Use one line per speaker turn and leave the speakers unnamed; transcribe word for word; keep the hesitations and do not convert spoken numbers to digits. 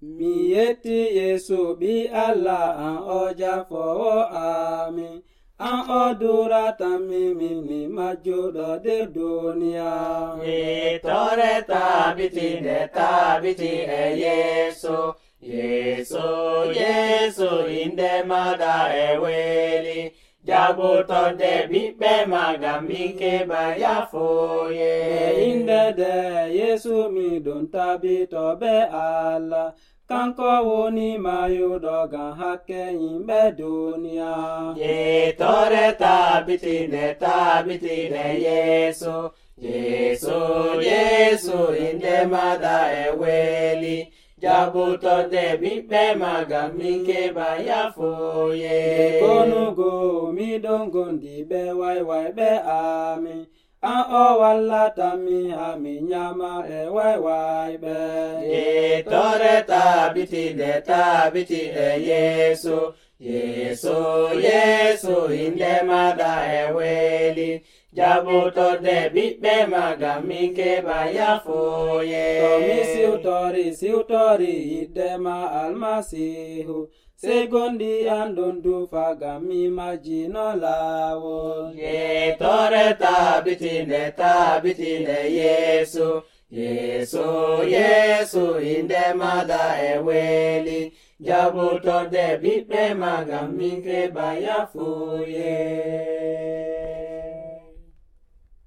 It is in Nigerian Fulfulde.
mi yetti Yesu ɓi Allah an o jafoowo amin. An o duratami min mi majjuɗo de duniya.
Yittore tabitinde tabiti e Yesu. Yesu, Yesu, inde maɗa e weli. Jaɓutonde ɓiɓɓe maga min keɓa yafuye.
E inde de Yesu miɗon tabito be Allah. Kanko woni mayuɗo ngam hakke yimɓe duniya.
Yittore tabitinde tabitinde Yesu. Yesu, Yesu, inde maɗa e weli. Jaɓutonde ɓiɓɓe maga min keɓa yafuye.
Konugo miɗon gondi ɓe wayway ɓe amin. An o wallatami ha mi nyama e waywayɓe.
Yittore tabitinde tabitinde Yesu. Yesu, Yesu, inde maɗa e weli. Jaɓutonde ɓiɓɓe maga min keɓa yafuye.
To mi siwtori siwtori yiddema almasihu. Sey gondi an ɗon dufa ngam mi majjino laawol.
Yittore tabitinde tabitinde Yesu. Yesu, Yesu, inde maɗa e weli. Jaɓutonde ɓiɓɓe maga min keɓa yafuye.